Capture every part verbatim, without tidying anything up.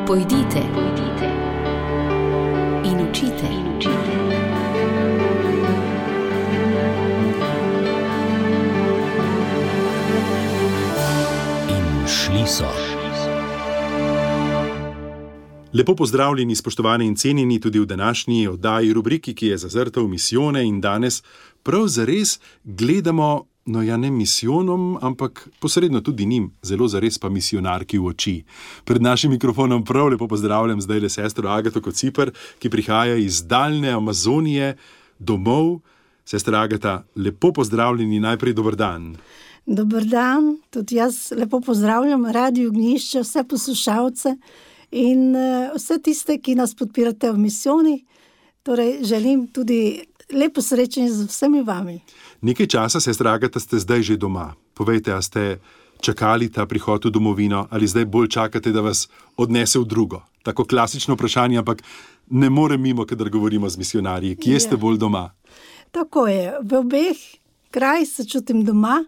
Pojdite, pojdite in učite, in učite. In šli so. Lepo pozdravljeni, spoštovani in cenjeni tudi v današnji oddaji rubriki, ki je zazrta v misijone, in danes prav zares gledamo, no ja ne misijonom, ampak posredno tudi njim, zelo zares pa misijonarki v oči. Pred našim mikrofonom prav lepo pozdravljam zdaj le sestro Agato Kociper, ki prihaja iz daljne Amazonije domov. Sestra Agata, lepo pozdravljeni, najprej dober dan. Dober dan, tudi jaz lepo pozdravljam Radio Ognjišče, vse poslušalce in uh, vse tiste, ki nas podpirate v misijoni. Torej, želim tudi lepo srečanje z vsemi vami. Nekaj časa, sestra Agata, ste zdaj že doma. Povejte, a ste čakali ta prihod v domovino ali zdaj bolj čakate, da vas odnese v drugo? Tako klasično vprašanje, ampak ne morem mimo, kadar govorimo z misijonarji. Kje ste bolj doma? Tako je. V obeh krajih se čutim doma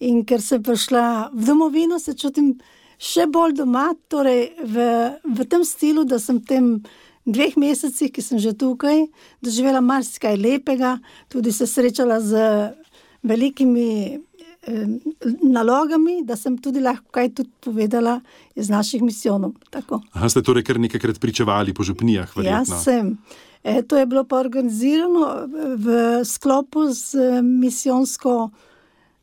in ker sem prišla v domovino, se čutim še bolj doma, torej v, v tem stilu, da sem tem dveh mesecih, ki sem že tukaj, doživela marsikaj lepega, tudi se srečala z velikimi eh, nalogami, da sem tudi lahko kaj tudi povedala iz naših misijonov. Tako. Aha, ste torej kar nekajkrat pričevali po župnijah, verjetno? Jaz sem. E, to je bilo pa organizirano v sklopu z misijonsko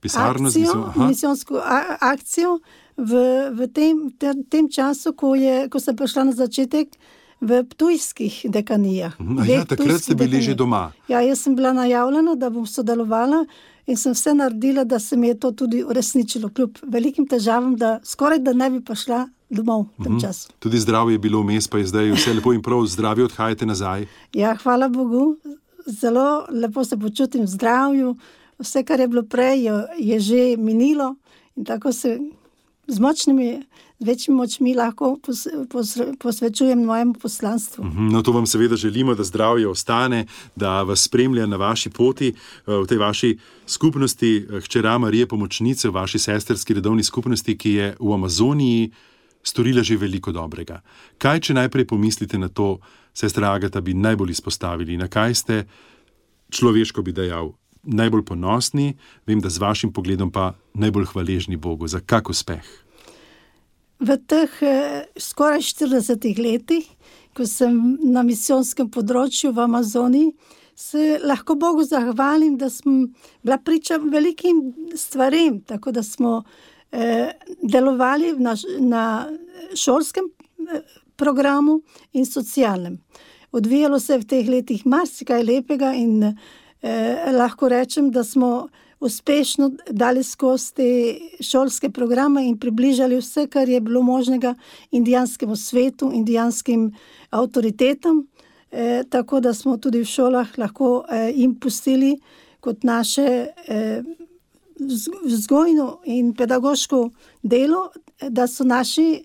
Pisarno akcijo, z misijo, misijonsko a- akcijo v, v tem, te, tem času, ko, je, ko sem prišla na začetek v ptujskih dekanijah. A ja, takrat ste bili že doma. Ja, jaz sem bila najavljena, da bom sodelovala in sem vse naredila, da se mi je to tudi uresničilo, kljub velikim težavam, da skoraj da ne bi prišla domov v tem času. Tudi zdravje je bilo vmes, pa je zdaj vse lepo in prav, zdravje odhajate nazaj. Ja, hvala Bogu, zelo lepo se počutim v zdravju, vse, kar je bilo prej, je, je že minilo in tako se z močnimi, z večjimi močmi lahko pos, pos, posvečujem mojemu poslanstvu. No, to vam seveda želimo, da zdravje ostane, da vas spremlja na vaši poti, v tej vaši skupnosti, hčera Marije Pomočnice, v vaši sestrski redovni skupnosti, ki je v Amazoniji storila že veliko dobrega. Kaj, če najprej pomislite na to, sestra Agata, bi najbolj izpostavili? Na kaj ste, človeško bi dejal, najbolj ponosni, vem, da z vašim pogledom pa najbolj hvaležni Bogu. Za kak uspeh? V teh eh, skoraj štiridesetih letih, ko sem na misijonskem področju v Amazoniji, se lahko Bogu zahvalim, da sem bila priča velikim stvarem, tako da smo eh, delovali na, na šolskem eh, programu in socialnem. Odvijalo se je v teh letih marsikaj lepega in Eh, lahko rečem, da smo uspešno dali skozi te šolske programe in približali vse, kar je bilo možnega indijanskemu svetu, indijanskim avtoritetam, eh, tako da smo tudi v šolah lahko eh, jim pustili kot naše eh, vzgojno in pedagoško delo, da so naši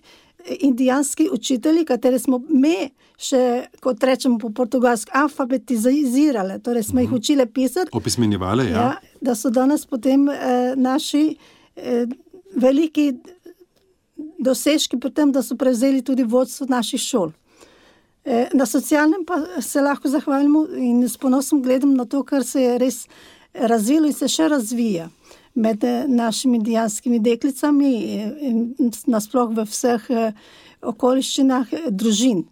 indijanski učitelji, katere smo me še, kot rečemo po portugalsko, alfabetizirale, torej smo jih učile pisati. Opismenjevale, ja. ja. Da so danes potem eh, naši eh, veliki dosežki pri tem, da so prevzeli tudi vodstvo naših šol. Eh, na socialnem pa se lahko zahvalimo in s ponosom gledam na to, kar se je res razvilo in se še razvija med našimi indijanskimi deklicami in nasploh v vseh okoliščinah družin,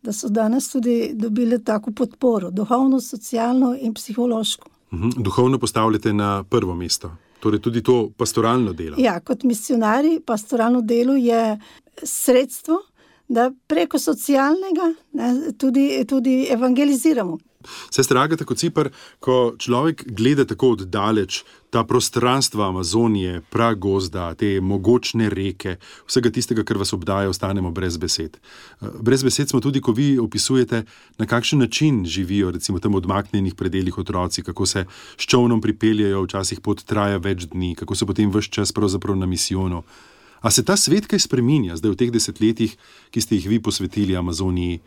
da so danes tudi dobili tako podporo, duhovno, socialno in psihološko. Uhum, duhovno postavljate na prvo mesto, torej tudi to pastoralno delo. Ja, kot misionari pastoralno delo je sredstvo, da preko socialnega ne, tudi, tudi evangeliziramo. Sestra Agata Kociper, ko človek gleda tako oddaleč ta prostranstva Amazonije, pragozda, te mogočne reke, vsega tistega, kar vas obdaja, ostanemo brez besed. Brez besed smo tudi, ko vi opisujete, na kakšen način živijo recimo tam odmaknjenih predelih otroci, kako se s čolnom pripeljajo, včasih pot traja več dni, kako so potem ves čas pravzaprav na misijonu. A se ta svet kaj spreminja zdaj v teh desetletjih, ki ste jih vi posvetili Amazoniji?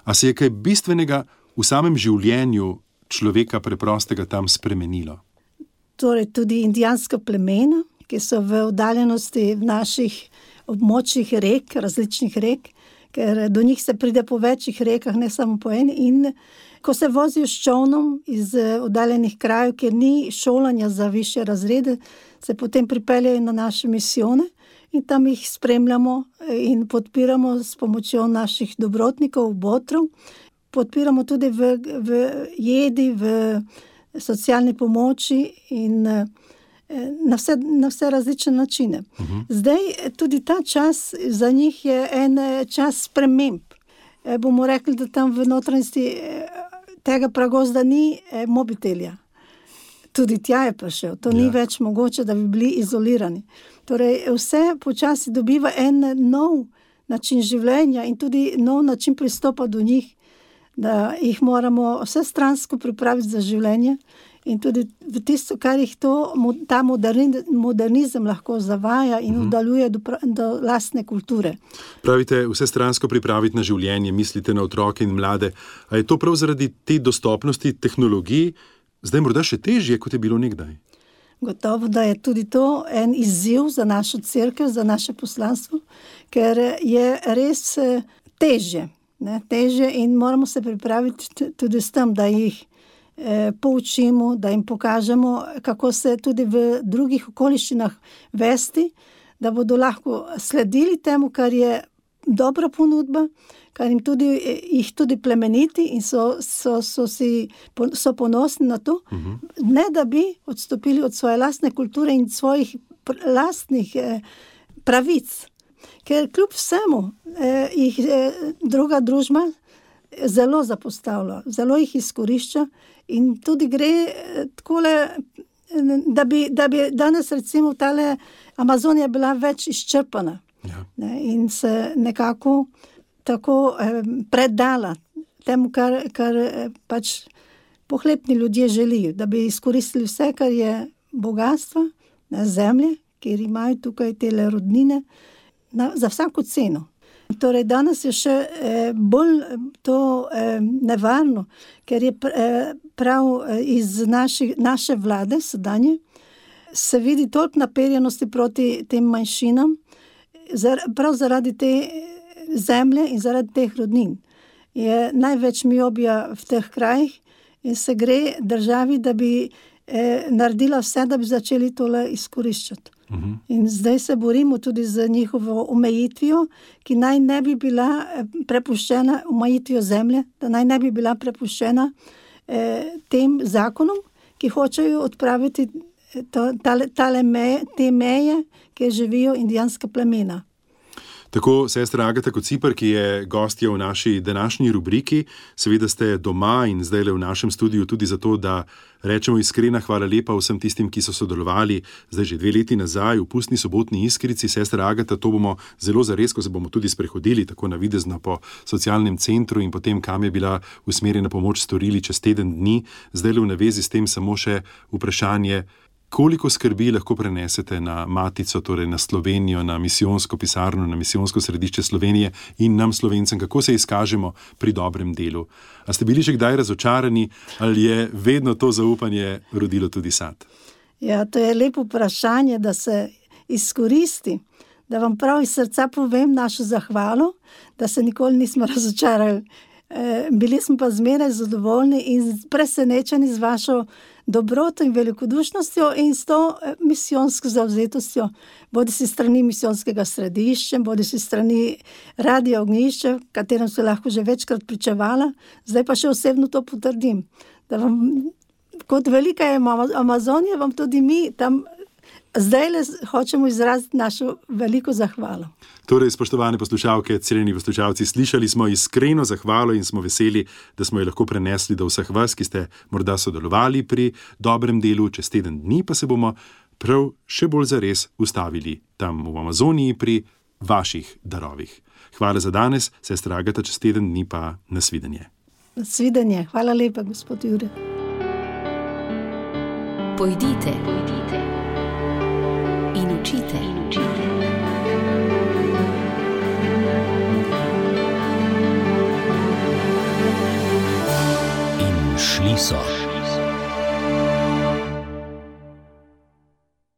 A se je kaj bistvenega v samem življenju človeka preprostega tam spremenilo? Torej tudi indijanska plemena, ki so v oddaljenosti v naših območjih rek, različnih rek, ker do njih se pride po večjih rekah, ne samo po eni. In ko se vozijo s čolnom iz oddaljenih krajev, kjer ni šolanja za višje razrede, se potem pripeljajo na naše misijone in tam jih spremljamo in podpiramo s pomočjo naših dobrotnikov, botrov. Podpiramo tudi v, v jedi, v socialni pomoči in na vse, na vse različne načine. Uh-huh. Zdaj, tudi ta čas za njih je en čas sprememb. E, bomo rekli, da tam v notranjosti tega pragozda ni e, mobitelja. Tudi tja je prišel. To ja. Ni več mogoče, da bi bili izolirani. Torej, vse počasi dobiva en nov način življenja in tudi nov način pristopa do njih, da jih moramo vse stransko pripraviti za življenje in tudi v tisto, kar jih to, ta modernizem lahko zavaja in oddaljuje do, do lastne kulture. Pravite, vse stransko pripraviti na življenje, mislite na otroke in mlade. A je to prav zaradi te dostopnosti tehnologij zdaj morda še težje, kot je bilo nekdaj? Gotovo, da je tudi to en izziv za našo cerkev, za naše poslanstvo, ker je res težje. Ne, težje in moramo se pripraviti tudi s tem, da jih eh, poučimo, da jim pokažemo, kako se tudi v drugih okoliščinah vesti, da bodo lahko sledili temu, kar je dobra ponudba, kar jim tudi, jih tudi plemeniti in so, so, so, si, so ponosni na to, uh-huh. ne da bi odstopili od svoje lastne kulture in svojih lastnih eh, pravic. Ker kljub vsemu eh, jih eh, druga družba zelo zapostavlja, zelo jih izkorišča in tudi gre eh, takole, da bi, da bi danes recimo tale Amazonija bila več izčrpana ja. ne, in se nekako tako eh, predala temu, kar, kar eh, pač pohlepni ljudje želijo, da bi izkoristili vse, kar je bogatstva na zemlje, kjer imajo tukaj tele rodnine, Na, za vsako ceno. Torej, danes je še eh, bolj to eh, nevarno, ker je pr, eh, prav eh, iz naši, naše vlade sedanje se vidi toliko naperjenosti proti tem manjšinam, zar, prav zaradi te zemlje in zaradi teh rodnin. Je največ miobija v teh krajih in se gre državi, da bi eh, naredila vse, da bi začeli tole izkoriščati. Uhum. In zdaj se borimo tudi z njihovo omejitvijo, ki naj ne bi bila prepuščena, omejitvijo zemlje, da naj ne bi bila prepuščena eh, tem zakonom, ki hočejo odpraviti to, tale, tale meje, te meje, kjer živijo indijanska plemena. Tako sestra Agata Kociper, ki je gostja v naši današnji rubriki, seveda ste doma in zdaj v našem studiu tudi zato, da rečemo iskrena hvala lepa vsem tistim, ki so sodelovali zdaj že dve leti nazaj v pustni sobotni Iskrici. Sestra Agata, to bomo zelo zares, ko se bomo tudi sprehodili tako navidezno po socialnem centru in potem, kam je bila usmerjena pomoč, storili čez teden dni. Zdaj v navezi s tem samo še vprašanje, koliko skrbi lahko prenesete na Matico, torej na Slovenijo, na misijonsko pisarno, na misijonsko središče Slovenije in nam Slovencem, kako se izkažemo pri dobrem delu? A ste bili že kdaj razočarani ali je vedno to zaupanje rodilo tudi sad? Ja, to je lepo vprašanje, da se izkoristi, da vam prav iz srca povem našo zahvalo, da se nikoli nismo razočarali. E, bili smo pa zmeraj zadovoljni in presenečeni z vašo dobroto in velikodušnostjo in s to misijonsko zavzetostjo, bodi si strani misijonskega središča, bodi si strani Radia Ognjišče, katerem se lahko že večkrat pričevala, zdaj pa še osebno to potrdim, da vam, kot velika je Amazonija, vam tudi mi tam zdaj le hočemo izraziti našo veliko zahvalo. Torej, spoštovane poslušalke, cenjeni poslušalci, slišali smo iskreno zahvalo in smo veseli, da smo jo lahko prenesli do vseh vas, ki ste morda sodelovali pri dobrem delu. Čez teden dni pa se bomo prav še bolj zares ustavili tam v Amazoniji pri vaših darovih. Hvala za danes, sestra Agata, čez teden dni pa nasvidenje. Nasvidenje. Hvala lepa, gospod Jure. Pojdite, pojdite in učite, in učite. In šli so.